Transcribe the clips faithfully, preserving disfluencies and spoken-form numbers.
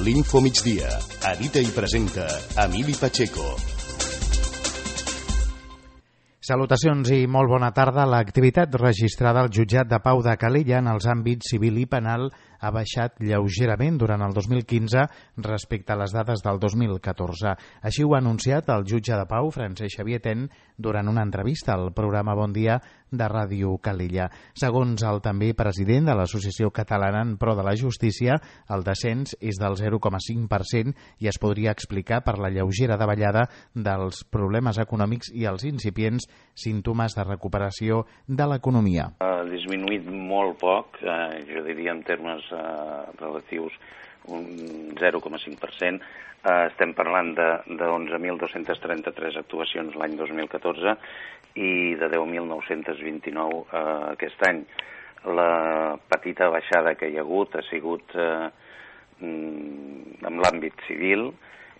L'Info Migdia. Edita i presenta Emili Pacheco. Salutacions i molt bona tarda. L'activitat registrada al jutjat de Pau de Calella en els àmbits civil i penal ha baixat lleugerament durant el dos mil quinze respecte a les dades del dos mil catorze. Així ho ha anunciat el jutge de Pau, Francesc Xavier Ten, durant una entrevista al programa Bon Dia de Ràdio Calella. Segons el també president de l'Associació Catalana en Pro de la Justícia, el descens és del zero coma cinc per cent i es podria explicar per la lleugera davallada dels problemes econòmics i els incipients símptomes de recuperació de l'economia. Ha disminuït molt poc, eh, jo diria en termes eh, relatius un zero coma cinc per cent. Eh, estem parlant d'onze mil dos-centes trenta-tres actuacions l'any dos mil catorze i de deu mil nou-cents vint-i-nou eh, aquest any. La petita baixada que hi ha hagut ha sigut eh, en l'àmbit civil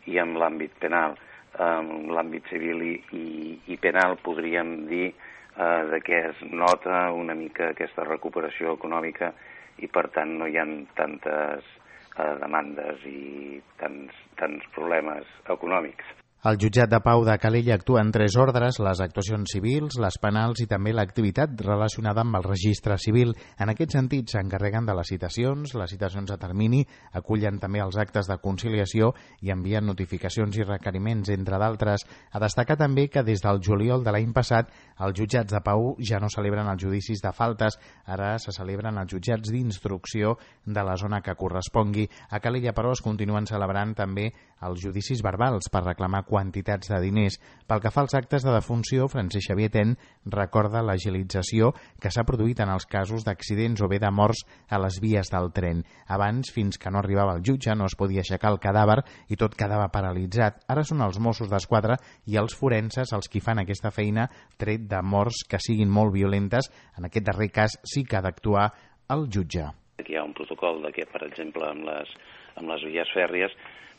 i en l'àmbit penal. En l'àmbit civil i, i, i penal podríem dir eh, de què es nota una mica aquesta recuperació econòmica i per tant no hi ha tantes eh, demandes i tants, tants problemes econòmics. El jutjat de Pau de Calella actua en tres ordres: les actuacions civils, les penals i també l'activitat relacionada amb el registre civil. En aquest sentit s'encarreguen de les citacions, les citacions a termini, acullen també els actes de conciliació i envien notificacions i requeriments, entre d'altres. A destacar també que des del juliol de l'any passat els jutjats de Pau ja no celebren els judicis de faltes, ara se celebren els jutjats d'instrucció de la zona que correspongui. A Calella, però, es continuen celebrant també els judicis verbals per reclamar quantitats de diners. Pel que fa als actes de defunció, Francesc Xavier Ten recorda l'agilització que s'ha produït en els casos d'accidents o bé de morts a les vies del tren. Abans, fins que no arribava el jutge, no es podia aixecar el cadàver i tot quedava paralitzat. Ara són els Mossos d'Esquadra i els forenses els qui fan aquesta feina, tret de morts que siguin molt violentes. En aquest darrer cas sí que ha d'actuar el jutge. Aquí hi ha un protocol de que, per exemple, amb les, amb les vies fèrries,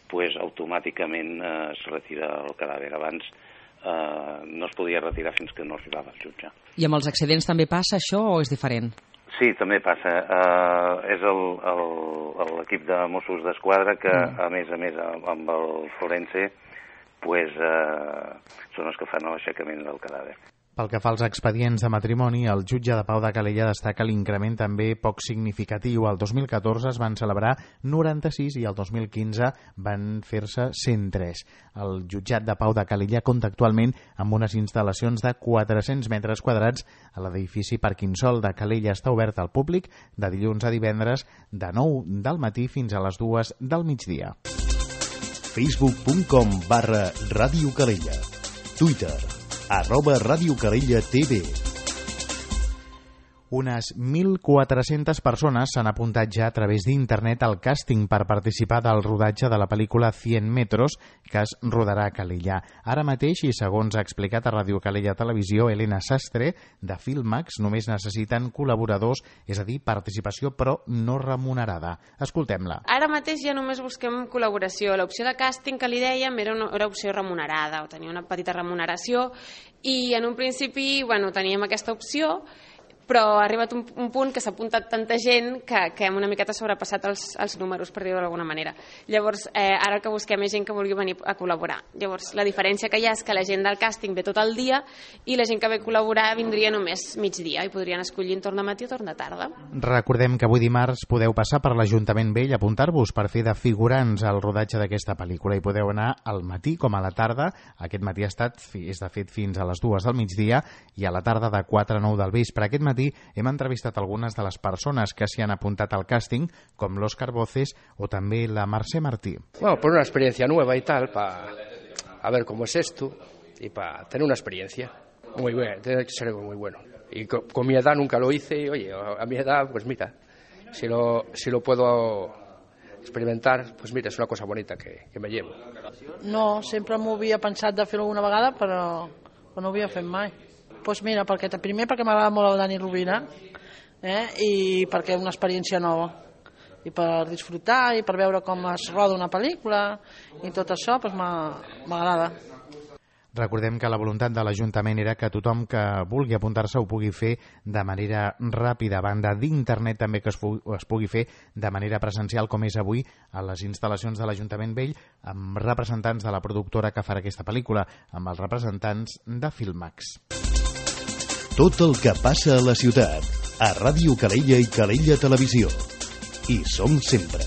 pues, automàticament eh, es retira el cadàver. Abans eh, no es podia retirar fins que no arribava el jutge. I amb els accidents també passa això o és diferent? Sí, també passa. Eh, és l'equip de Mossos d'Esquadra que, mm. a més a més, amb el forense, pues, eh, són els que fan l'aixecament del cadàver. Pel que fa als expedients de matrimoni, el jutge de Pau de Calella destaca l'increment també poc significatiu. El dos mil catorze es van celebrar noranta-sis i el dos mil quinze van fer-se cent tres. El jutjat de Pau de Calella compta actualment amb unes instal·lacions de quatre-cents metres quadrats a l'edifici Parquinsol de Calella. Està obert al públic de dilluns a divendres de nou del matí fins a les dues del migdia. facebook punt com barra Ràdio Calella. Twitter arroba Ràdio Calella T V. Unes mil quatre-centes persones s'han apuntat ja a través d'internet al càsting per participar del rodatge de la pel·lícula cent metros que es rodarà a Calella. Ara mateix, i segons ha explicat a Ràdio Calella Televisió Elena Sastre, de Filmax només necessiten col·laboradors, és a dir, participació però no remunerada. Escoltem-la. Ara mateix ja només busquem col·laboració. L'opció de càsting que li dèiem era una era opció remunerada, o tenia una petita remuneració, i en un principi bueno, teníem aquesta opció, però ha arribat un, un punt que s'ha apuntat tanta gent que, que hem una miqueta sobrepassat els, els números, per dir-ho d'alguna manera. Llavors, eh, ara el que busquem és gent que vulgui venir a col·laborar. Llavors, la diferència que hi ha és que la gent del càsting ve tot el dia i la gent que ve a col·laborar vindria només migdia i podrien escollir en torn de matí o torn de tarda. Recordem que avui dimarts podeu passar per l'Ajuntament Vell a apuntar-vos per fer de figurants al rodatge d'aquesta pel·lícula i podeu anar al matí com a la tarda. Aquest matí ha estat, és de fet, fins a les dues del migdia i a la tarda de quatre a nou del vespre. Aquest matí hem entrevistat algunes de les persones que s'hi han apuntat al càsting, com l'Òscar Voces o també la Mercè Martí. Bueno, por una experiencia nueva y tal, para a ver cómo es esto y para tener una experiencia muy buena, tiene que ser algo muy bueno. Y con, con mi edad nunca lo hice y, oye, a mi edad, pues mira, si lo, si lo puedo experimentar, pues mira, és una cosa bonita que, que me llevo. No, sempre m'ho havia pensat de fer-ho una vegada, però, però no ho havia fet mai. Doncs pues mira, perquè, primer perquè m'agrada molt el Dani Rovira, eh? I perquè és una experiència nova. I per disfrutar i per veure com es roda una pel·lícula i tot això, doncs m'agrada. Recordem que la voluntat de l'Ajuntament era que tothom que vulgui apuntar-se ho pugui fer de manera ràpida. A banda d'internet també que es, es pugui fer de manera presencial, com és avui a les instal·lacions de l'Ajuntament Vell, amb representants de la productora que farà aquesta pel·lícula, amb els representants de Filmax. Tot el que passa a la ciutat, a Ràdio Calella i Calella Televisió. Hi som sempre.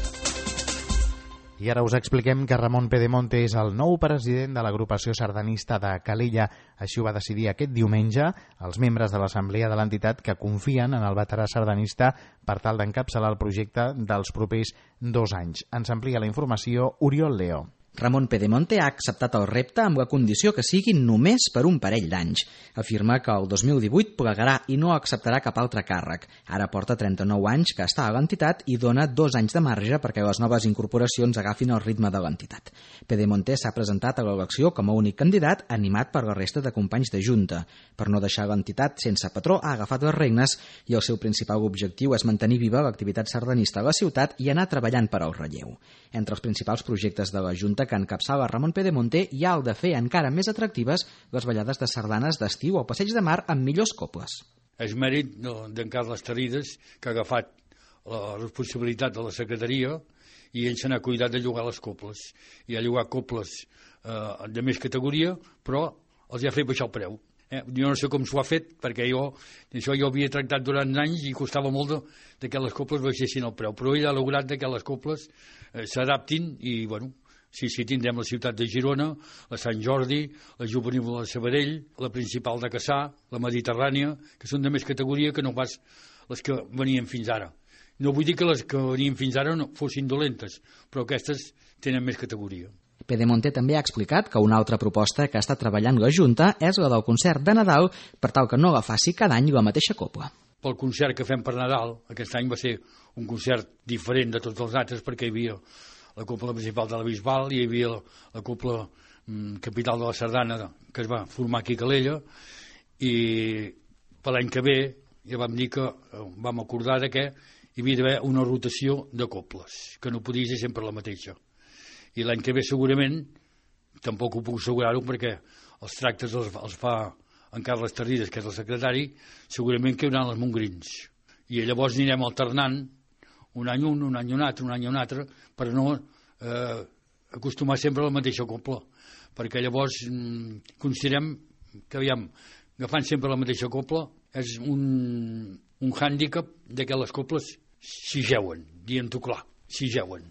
I ara us expliquem que Ramon Pedemonte és el nou president de l'agrupació sardanista de Calella. Així ho va decidir aquest diumenge els membres de l'assemblea de l'entitat que confien en el veterà sardanista per tal d'encapçalar el projecte dels propers dos anys. Ens amplia la informació Oriol Leo. Ramon Pedemonte ha acceptat el repte amb la condició que sigui només per un parell d'anys. Afirma que el dos mil divuit plegarà i no acceptarà cap altre càrrec. Ara porta trenta-nou anys que està a l'entitat i dona dos anys de marge perquè les noves incorporacions agafin el ritme de l'entitat. Pedemonte s'ha presentat a l'elecció com a únic candidat, animat per la resta de companys de junta. Per no deixar l'entitat sense patró, ha agafat les regnes i el seu principal objectiu és mantenir viva l'activitat sardanista a la ciutat i anar treballant per al relleu. Entre els principals projectes de la Junta que encapçala Ramon Pedemonte hi ha el de fer encara més atractives les ballades de sardanes d'estiu al Passeig de Mar amb millors coples. És mèrit d'en Carles Terrides, que ha agafat la responsabilitat de la secretaria i ell se n'ha cuidat de llogar les coples. I ha llogat coples eh, de més categoria, però els ha fet baixar el preu. Eh? Jo no sé com s'ho ha fet, perquè jo això jo havia tractat durant anys i costava molt de, de que les coples baixessin el preu, però ell ha lograt que les coples eh, s'adaptin i, bueno, sí, sí, tindrem la ciutat de Girona, la Sant Jordi, la Juvenil de Sabadell, la principal de Cassà, la Mediterrània, que són de més categoria que no pas les que venien fins ara. No vull dir que les que venien fins ara no fossin dolentes, però aquestes tenen més categoria. Pedemonte també ha explicat que una altra proposta que està treballant la Junta és la del concert de Nadal per tal que no la faci cada any la mateixa copla. Pel concert que fem per Nadal, aquest any va ser un concert diferent de tots els altres perquè hi havia la copla principal de la Bisbal i hi havia la, la copla mm, capital de la Sardana que es va formar aquí a Calella i per l'any que ve ja vam dir que vam acordar que hi havia d'haver una rotació de coples, que no podia ser sempre la mateixa. I l'any que ve segurament, tampoc ho puc assegurar-ho perquè els tractes els, els fa en Carles Terrides, que és el secretari, segurament que hi haurà les Montgrins. I llavors anirem alternant un any un, un any un altre, un any un altre, per no eh, acostumar sempre a la mateixa copla. Perquè llavors mm, considerem que, aviam, agafant sempre la mateixa copla és un, un hàndicap de que les coples s'hi jeuen, dient-ho clar, s'hi jeuen.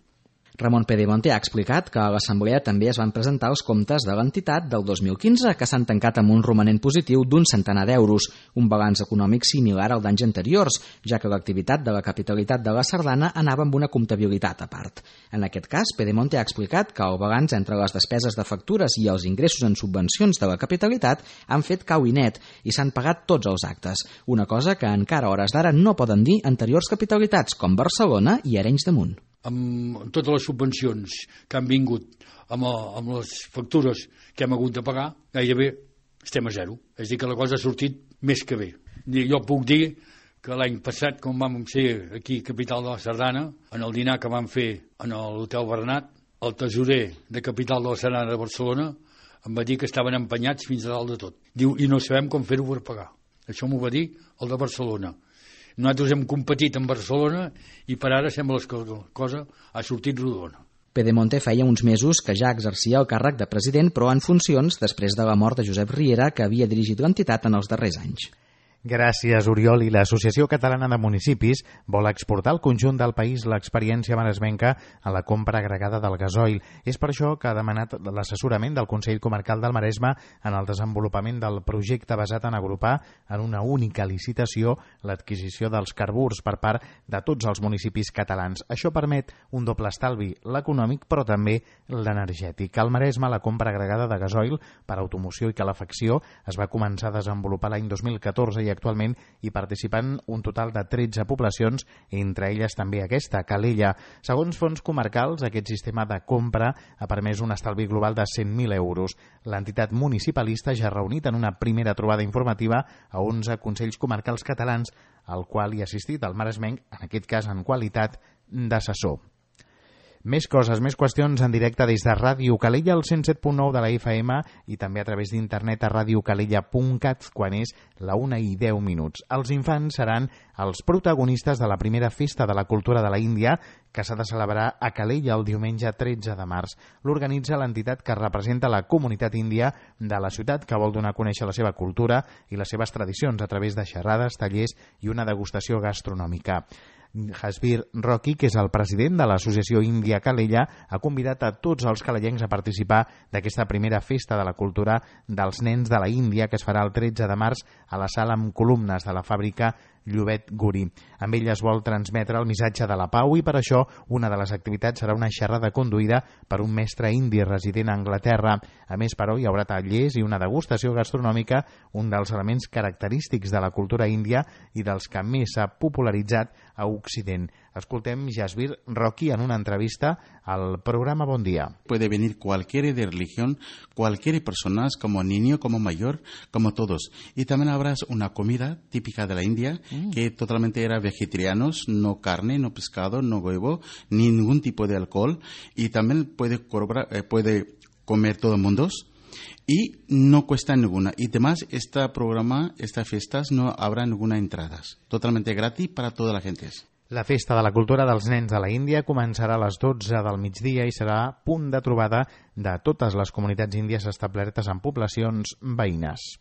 Ramon Pedemonte ha explicat que a l'Assemblea també es van presentar els comptes de l'entitat del dos mil quinze, que s'han tancat amb un romanent positiu d'un centenar d'euros, un balanç econòmic similar al d'anys anteriors, ja que l'activitat de la capitalitat de la Sardana anava amb una comptabilitat a part. En aquest cas, Pedemonte ha explicat que el balanç entre les despeses de factures i els ingressos en subvencions de la capitalitat han fet cau i net i s'han pagat tots els actes, una cosa que encara a hores d'ara no poden dir anteriors capitalitats com Barcelona i Arenys de Munt. Amb totes les subvencions que han vingut amb, amb les factures que hem hagut de pagar, gairebé estem a zero. És a dir, que la cosa ha sortit més que bé. Jo puc dir que l'any passat, quan vam ser aquí, capital de la Sardana, en el dinar que vam fer en l'Hotel Bernat, el tesorer de capital de la Sardana de Barcelona em va dir que estaven empenyats fins a dalt de tot. Diu, i no sabem com fer-ho per pagar. Això m'ho va dir el de Barcelona. Nosaltres hem competit en Barcelona i per ara sembla que la cosa ha sortit rodona. Pedemonte feia uns mesos que ja exercia el càrrec de president, però en funcions després de la mort de Josep Riera, que havia dirigit l'entitat en els darrers anys. Gràcies, Oriol. I l'Associació Catalana de Municipis vol exportar al conjunt del país l'experiència maresmenca a la compra agregada del gasoil. És per això que ha demanat l'assessorament del Consell Comarcal del Maresme en el desenvolupament del projecte basat en agrupar en una única licitació l'adquisició dels carburs per part de tots els municipis catalans. Això permet un doble estalvi, l'econòmic però també l'energètic. Al Maresme, la compra agregada de gasoil per automoció i calefacció es va començar a desenvolupar l'any dos mil catorze i actualment hi participen un total de tretze poblacions, entre elles també aquesta, Calella. Segons fons comarcals, aquest sistema de compra ha permès un estalvi global de cent mil euros. L'entitat municipalista ja ha reunit en una primera trobada informativa a onze consells comarcals catalans, al qual hi ha assistit el maresmenc, en aquest cas en qualitat d'assessor. Més coses, més qüestions en directe des de Ràdio Calella, al cent set punt nou de la F M i també a través d'internet a radiocalella punt cat quan és la una i deu minuts. Els infants seran els protagonistes de la primera festa de la cultura de la Índia que s'ha de celebrar a Calella el diumenge tretze de març. L'organitza l'entitat que representa la comunitat índia de la ciutat, que vol donar a conèixer la seva cultura i les seves tradicions a través de xerrades, tallers i una degustació gastronòmica. Jasbir Rocky, que és el president de l'Associació Índia Calella, ha convidat a tots els calellencs a participar d'aquesta primera festa de la cultura dels nens de la Índia que es farà el tretze de març a la sala amb columnes de la fàbrica Llobet Guri. Amb ell es vol transmetre el missatge de la pau i per això una de les activitats serà una xerrada conduïda per un mestre indi resident a Anglaterra. A més, però, hi haurà tallers i una degustació gastronòmica, un dels elements característics de la cultura índia i dels que més s'ha popularitzat a Occident. Escoltem Jasbir Rocky en una entrevista al programa Bon Dia. Puede venir cualquiera de religión, cualquier persona, como niño, como mayor, como todos. Y también habrá una comida típica de la India, mm. que totalmente era vegetarianos, no carne, no pescado, no huevo, ni ningún tipo de alcohol. Y también puede, cobrar, eh, puede comer todo el mundo. Y no cuesta ninguna. Y además, este programa, estas fiestas, no habrá ninguna entradas. Totalmente gratis para toda la gente. La Festa de la Cultura dels Nens de la Índia començarà a les dotze del migdia i serà punt de trobada de totes les comunitats índies establertes en poblacions veïnes.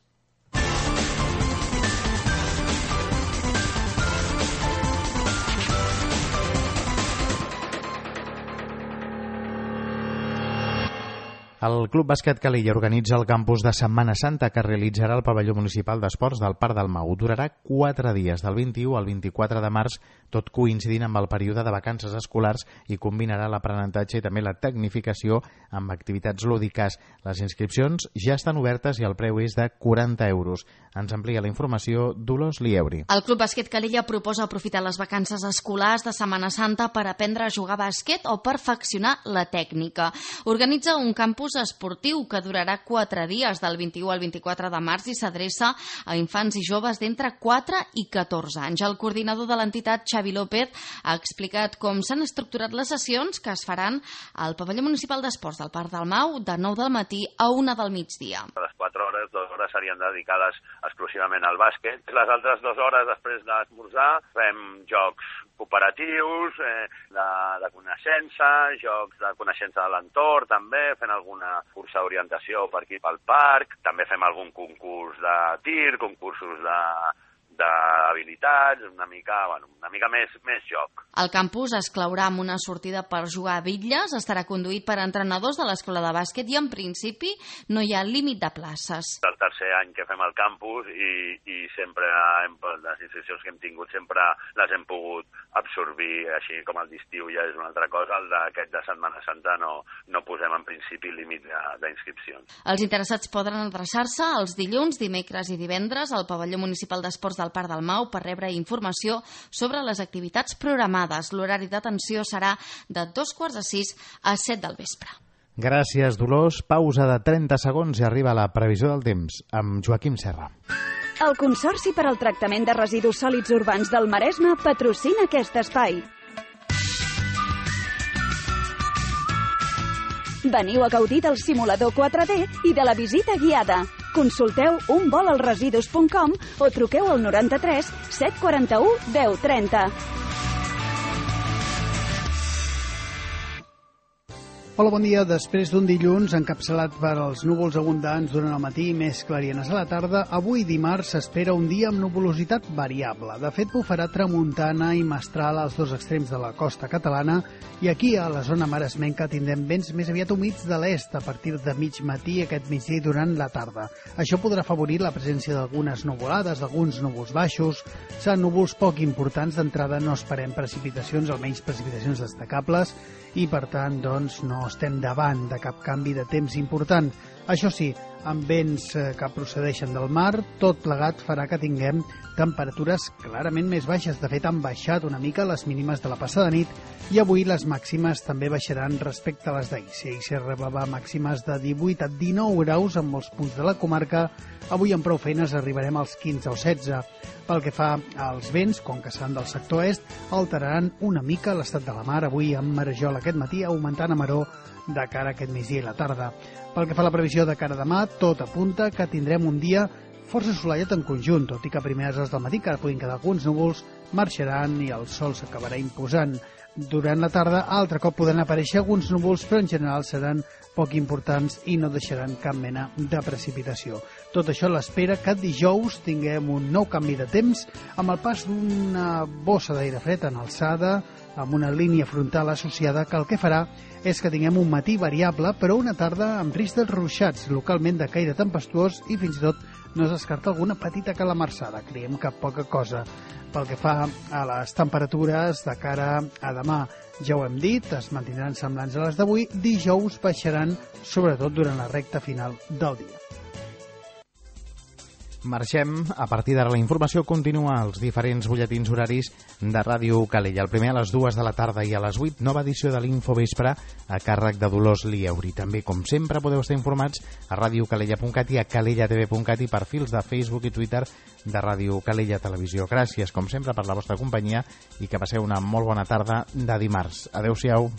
El Club Bàsquet Calella organitza el campus de Setmana Santa que realitzarà el pavelló municipal d'esports del Parc del Mau. Durarà quatre dies, del vint-i-u al vint-i-quatre de març, tot coincidint amb el període de vacances escolars i combinarà l'aprenentatge i també la tecnificació amb activitats lúdiques. Les inscripcions ja estan obertes i el preu és de quaranta euros. Ens amplia la informació Dolors Lieuri. El Club Bàsquet Calella proposa aprofitar les vacances escolars de Setmana Santa per aprendre a jugar a bàsquet o perfeccionar la tècnica. Organitza un campus esportiu que durarà quatre dies del vint-i-u al vint-i-quatre de març i s'adreça a infants i joves d'entre quatre i catorze anys. El coordinador de l'entitat, Xavi López, ha explicat com s'han estructurat les sessions que es faran al pavelló municipal d'esports del Parc del Mau de nou del matí a una del migdia. Les quatre hores, dues hores serien dedicades exclusivament al bàsquet. Les altres dues hores després d'esmorzar fem jocs cooperatius, eh, de, de coneixença, jocs de coneixença de l'entorn també, fent alguna cursa d'orientació per aquí pel parc, també fem algun concurs de tir, concursos de d'habilitats, una mica, bueno, una mica més, més joc. El campus es claurà amb una sortida per jugar a bitlles, estarà conduït per entrenadors de l'escola de bàsquet i en principi no hi ha límit de places. El tercer any que fem el campus i, i sempre hem, les institucions que hem tingut sempre les hem pogut absorbir, així com el d'estiu ja és una altra cosa, el d'aquest de Setmana Santa no, no posem en principi límit d'inscripcions. Els interessats poden adreçar-se els dilluns, dimecres i divendres al pavelló municipal d'esports del Parc del Mau per rebre informació sobre les activitats programades. L'horari d'atenció serà de dos quarts de sis a set del vespre. Gràcies, Dolors. Pausa de trenta segons i arriba la previsió del temps amb Joaquim Serra. El Consorci per al Tractament de Residus Sòlids Urbans del Maresme patrocina aquest espai. Veniu a gaudir del simulador quatre D i de la visita guiada. Consulteu un vol als residus punt com o truqueu al noranta-tres set quaranta-u deu trenta. Hola, bon dia. Després d'un dilluns encapçalat per els núvols abundants durant el matí i més clarienes a la tarda, avui dimarts s'espera un dia amb nuvolositat variable. De fet, bufarà tramuntana i mestral als dos extrems de la costa catalana i aquí, a la zona maresmenca, tindrem vents més aviat humits de l'est a partir de mig matí aquest migdia i durant la tarda. Això podrà afavorir la presència d'algunes nuvolades, d'alguns núvols baixos. Seran núvols poc importants d'entrada, no esperem precipitacions, almenys precipitacions destacables, i per tant doncs no estem davant de cap canvi de temps important. Això sí, amb vents que procedeixen del mar. Tot plegat farà que tinguem temperatures clarament més baixes. De fet, han baixat una mica les mínimes de la passada nit i avui les màximes també baixaran respecte a les d'ahir. Si ahir s'hi arribava màximes de divuit a dinou graus en molts punts de la comarca, avui amb prou feines arribarem als quinze o setze. Pel que fa als vents, com que seran del sector est, alteraran una mica l'estat de la mar. Avui amb marejol aquest matí, augmentant a maró de cara a aquest migdia i la tarda. Pel que fa a la previsió de cara a demà, tot apunta que tindrem un dia força assolellat en conjunt, tot i que a primeres hores del matí encara puguin quedar alguns núvols, marxaran i el sol s'acabarà imposant. Durant la tarda, altre cop podran aparèixer alguns núvols, però en general seran poc importants i no deixaran cap mena de precipitació. Tot això a l'espera que dijous tinguem un nou canvi de temps amb el pas d'una bossa d'aire fred en alçada, amb una línia frontal associada que el que farà és que tinguem un matí variable, però una tarda amb risc de ruixats, localment de caire tempestuós i fins i tot no es descarta alguna petita calamarsada. Creiem que poca cosa. Pel que fa a les temperatures de cara a demà, ja ho hem dit, es mantindran semblants a les d'avui, dijous baixaran sobretot durant la recta final del dia. Marxem. A partir d'ara la informació continua als diferents butlletins horaris de Ràdio Calella. El primer a les dues de la tarda i a les vuit, nova edició de l'Infovespre a càrrec de Dolors Lieuri. També, com sempre, podeu estar informats a radiocalella punt cat i a calella t v punt cat i perfils de Facebook i Twitter de Ràdio Calella Televisió. Gràcies, com sempre, per la vostra companyia i que passeu una molt bona tarda de dimarts. Adéu-siau.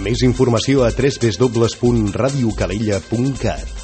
Més informació a w w w punt radiocalella punt cat.